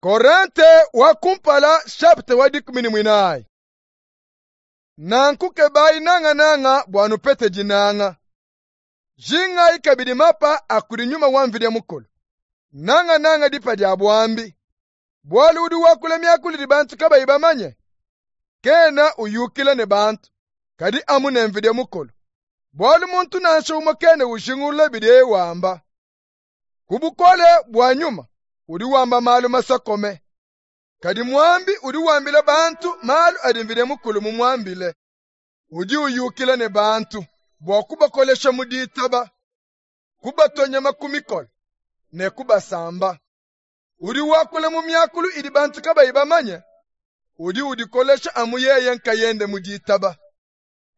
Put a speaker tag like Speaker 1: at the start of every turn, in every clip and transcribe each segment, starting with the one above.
Speaker 1: Korente wa kumpala chapitre wa 14. Nanku kebayi nangananga bua nupete dinanga. Jingayi kabidi mapa a kudi Nyuma wa Mvidi Mukulu, nangananga dipa dia buambi. Bualu udi wakula miakulu idi bantu kabayi bamanye, kena uyukila ne bantu, kadi amu ne Mvidi Mukulu. Bualu muntu nansha umue kena ujingulula bidiye wamba. Ku bukole bua Nyuma udi wamba malu masokome, kadi muambi udi wambila bantu malu adi Mvidi Mukulu mumuambile. Udi uyukila ne bantu bua kubakolesha mu ditaba, kubatua nyama ku mikolo ne kubasamba. Udi wakula mu miakulu idi bantu kabayi bamanye, udi udikolesha amu yeye nkayende mu ditaba.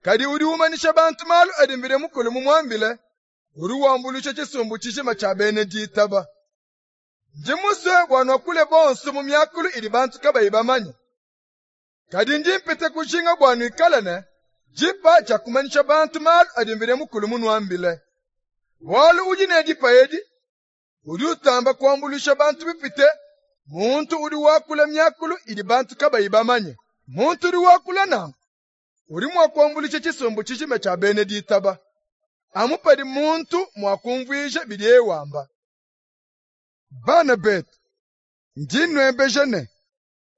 Speaker 1: Kadi udi umanyisha bantu malu adi Mvidi Mukulu mumuambile, udi wambuluisha tshisumbu tshijima tshia bena ditaba. Ndi musue bua nuakule bonso mu miakulu idi bantu kabayi bamanye. Kadi ndi mpite kujinga bua nuikale ne dipa dia kumanyisha bantu malu adi Mvidi Mukulu munuambile. Bualu udi ne dipa edi, udi utamba kuambuluisha bantu bipite muntu udi wakula miakulu idi bantu kabayi bamanye. Muntu udi wakula nanku udi mua kuambuluisha tshisumbu tshijima tshia bena ditaba, amu padi muntu mua kumvuija bidiye wamba. Bana betu, ndi nnuebeja ne,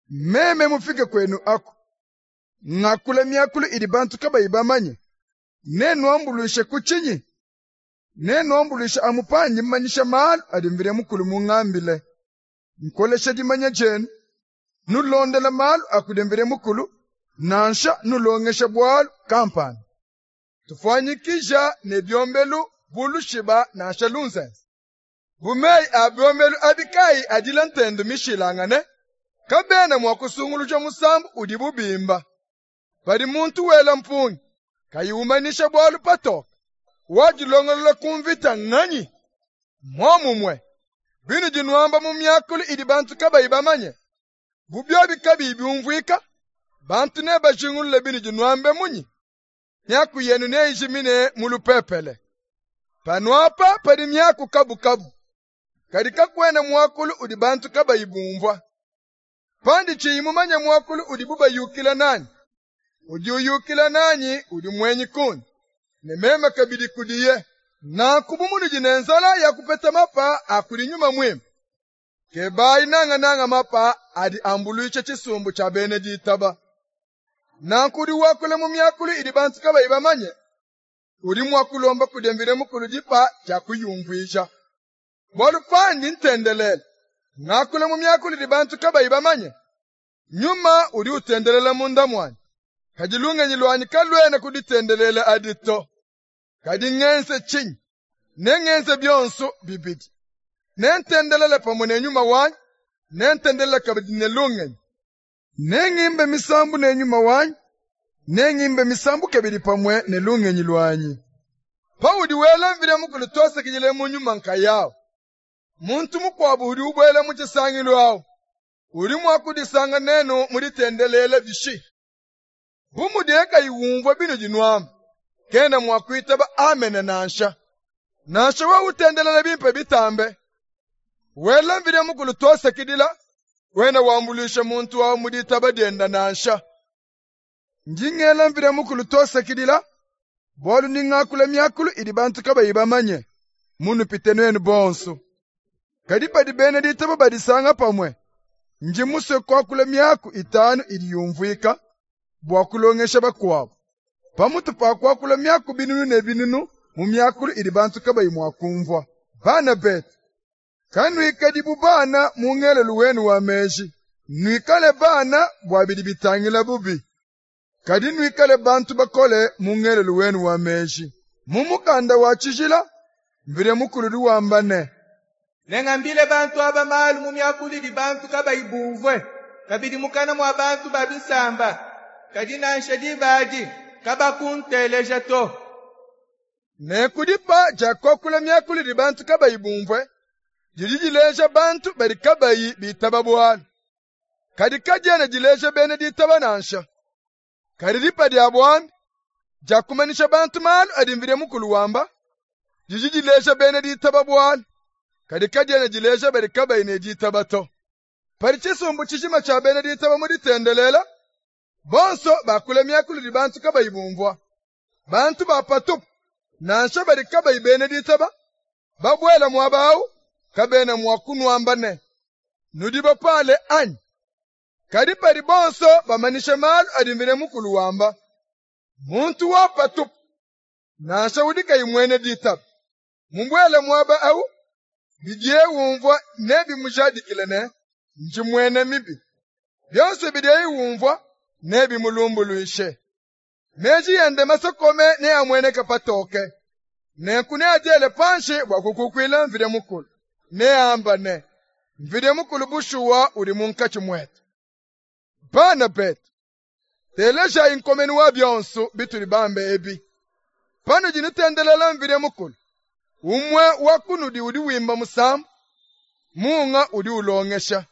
Speaker 1: meme mufike kwenu aku, ngakula miakulu idi bantu kabayi bamanye, nenuambuluishe ku tshinyi? Nenuambuluishe amu pandi mmanyisha malu adi Mvidi Mukulu mungambile, nkolesha dimanya dienu, nulondela malu a kudi Mvidi Mukulu, nansha nulongesha bualu kampanda. Tufuanyikija ne biombelu bu lushiba nansha lunzenze. Bu meyi a biombelu abi kayi adila ntendo mishilangane, kabena mua kusunguluja musambu udibu bimba. Padi muntu wela mpungi, kayi umanyisha bualu patoke, wadilongolola ku mvita nnganyi? Muomumue, binudi nuamba mu miakulu idi bantu kabayi bamanye, bu biobi kabiyi biumvuika, bantu nebajingulule binudi nuambe munyi? Miaku yenu neijimine mu lupepele. Panuapa padi miaku kabukabu, kadi kakuena muakulu udi bantu kabayi bumvua. Pandi tshiyi mumanye muakulu udibu bayukila nanyi, udi uyukila nanyi udi muenyi kundi, ne meme kabidi kudiye. Nanku bu munudi ne nzala ya kupeta mapa a kudi Nyuma Muimpe, kebayi nangananga mapa adi ambuluisha tshisumbu tshia bena ditaba. Nanku udi wakula mu miakulu idi bantu kabayi bamanye, udi mua kulomba kudi Mvidi Mukulu dipa dia kuyumvuija. Bualu pandi ntendelela, ngakula mu miakulu idi bantu kabayi bamanye, Nyuma udi utendelela munda muanyi, kadi lungenyi luanyi kaluena ku ditendelela adi to. Kadi ngenze tshinyi? Nengenze bionso bibidi. Nentendelele pamue ne nyuma wanyi, nentendelele kabidi ne lungenyi. Nengimbe misambu ne nyuma wanyi, nengimbe misambu kabidi pamue ne lungenyi luanyi. Paudi wela Mvidi Mukulu tuasakidila mu nyuma nkayawu, muntu mukuabu udi ubuela mu tshisangilu awu, udi mua kudisanga nenu mu ditendelela bishi? Bu mudiye kayi umvua binudi nuamba, kena mua kuitaba amene nansha. Nansha wewe utendelela bimpe bitambe, wela Mvidi Mukulu tuasakidila, kuena wambuluisha muntu awu mu ditaba diende nansha. Ndi ngela Mvidi Mukulu tuasakidila, bualu ndi ngakula miakulu idi bantu kabayi bamanye, munupite nuenu bonso. Kadi padi bena ditaba badisanga pamue, ndi musue kuakula miaku itanu idi yumvuika bua kulongesha bakuabu, pamutu pa kuakula miaku binunu ne binunu mu miakulu idi bantu kabayi mua kumvua. Bana betu, kanuikadi bu bana mu ngelelu wenu wa meji, nuikale bana bua bidi bitangila bubi, kadi nuikale bantu bakole mu ngelelu wenu wa meji. Mu mukanda wa tshijila, Mvidi Mukulu udi wamba ne,
Speaker 2: Nengambile bantu aba malu mu miakulu idi bantu kabayi bumvue, kabidi mukana mua bantu ba bisamba, kadi nansha diba adi kabakunteleja to.
Speaker 1: Nenku dipa dia kuakula miakulu idi bantu kabayi bumvue didi dileja bantu badi kabayi bitaba bualu, kadi kadiena dileja bena ditaba nansha. Kadi dipa dia buambi dia kumanyisha bantu malu adi Mvidi Mukulu wamba didi dileja bena ditaba bualu, kadi kadiena dileja badi kabayi ne ditaba to. Padi tshisumbu tshijima tshia bena ditaba mu ditendelela, bonso bakula miakulu idi bantu kabayi bumvua. Bantu ba patupu, nansha badi kabayi bena ditaba, babuela muaba awu, kabena mua kunuamba ne, nudi bapale anyi? Kadi padi bonso bamanyisha malu adi Mvidi Mukulu wamba, muntu wa patupu, nansha udi kayi muena ditaba, mubuele muaba awu, bidiye umvua nebimujadikile ne, ndi muena mibi. Bionso bidiye umvua nebimulumbuluishe. Meji ende masokome neamueneke patoke. Nenku neadiele panshi bua kukukuila Mvidi Mukulu. Neambe ne, Mvidi Mukulu bushuwa udi munkatshi muetu. Bana betu, telejayi nkomenu wa bionso bitudi bambe ebi. Panudi nutendelela Mvidi Mukulu, umue wa kunudi udi wimba musambu, munga udi ulongesha,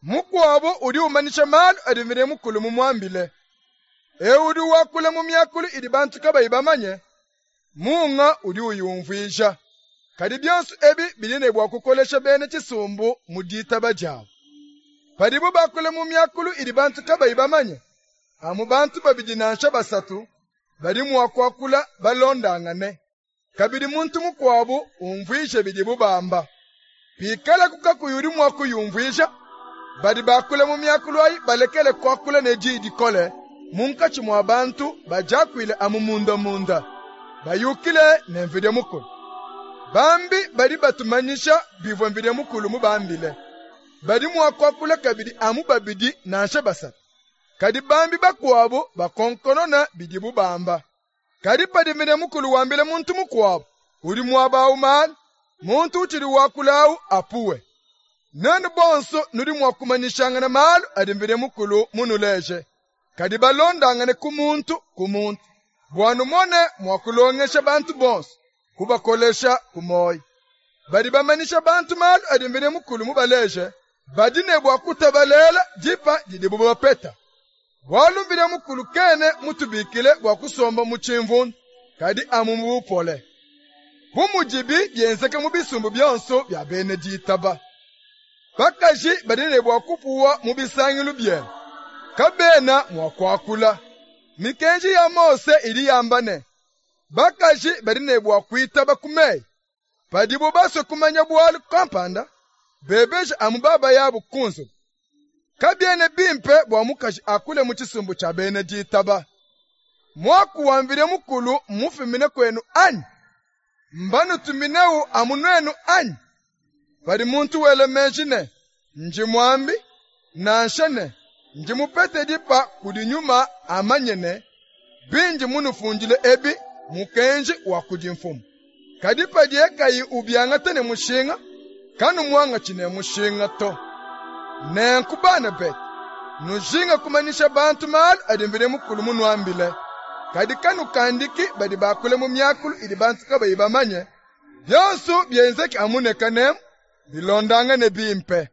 Speaker 1: mukuabu udi umanyisha malu adi Mvidi Mukulu mumuambile. Eu udi wakula mu miakulu idi bantu kabayi bamanye, munga udi uyumvuija. Kadi bionso ebi bidi ne bua kukolesha bena tshisumbu mu ditaba diabu. Padibu bakula mu miakulu idi bantu kabayi bamanye, amu bantu babidi nansha basatu badi mua kuakula balondangane. Kabidi muntu mukuabu umvuije bidibu bamba. Pikalaku kakuyi udi mua kuyumvuija, badi bakula mu miakulu ayi balekele kuakula ne diyi dikole munkatshi mua bantu badiakuile amu mundamunda, bayukile ne Mvidi Mukulu. Bambi badi batumanyisha bivua Mvidi Mukulu mubambile. Badi mua kuakula kabidi amu babidi nansha basatu. Kadi bambi bakuabu bakonkonona bidibu bamba. Kadi padi Mvidi Mukulu wambila muntu mukuabu udi muaba awu malu, muntu utshidi wakula awu apuwe. Nuenu bonso nudi mua kumanyishangana malu adi Mvidi Mukulu munuleje, kadi balondangane ku muntu ku muntu, bua numone mua kulongesha bantu bonso, kubakolesha ku muoyo. Badi bamanyisha bantu malu adi Mvidi Mukulu mubaleje, badi ne bua kutabalela dipa didibu bapeta. Bualu Mvidi Mukulu kena mutubikile bua kusomba mu tshimvundu, kadi amu mu bupole. Bu mudibi bienzeka mu bisumbu bionso bia bena ditaba. Bakaji badi ne bua kupuwa mu bisangilu bienu, kabena mua kuakula. Mikenji ya Mose idi yamba ne, bakaji badi ne bua kuitaba ku meyi. Padibu basue kumanya bualu kampanda, bebeje amu babayabu ku nzubu. Kabiena bimpe bua mukaji akule mu tshisumbu tshia bena ditaba. Muaku wa Mvidi Mukulu mmufumine kuenu anyi? Mbanutuminewu amu nuenu anyi? Padi muntu wela meji ne, ndi muambi, nansha ne, ndi mupete dipa kudi nyuma, amanye ne, bindi munufundile ebi mmukenji wa kudi Mfumu. Kadi padiye kayi ubiangata ne mushinga, kanumuangatshi ne mushinga to. Nenku bana betu, nujinge kumanyisha bantu malu adi Mvidi Mukulu munuambile. Kadi kanukandiki badi bakula mu miakulu idi bantu kabayi bamanye. Bionsu bienzeke amu ne kanemu, bilondangane bimpe.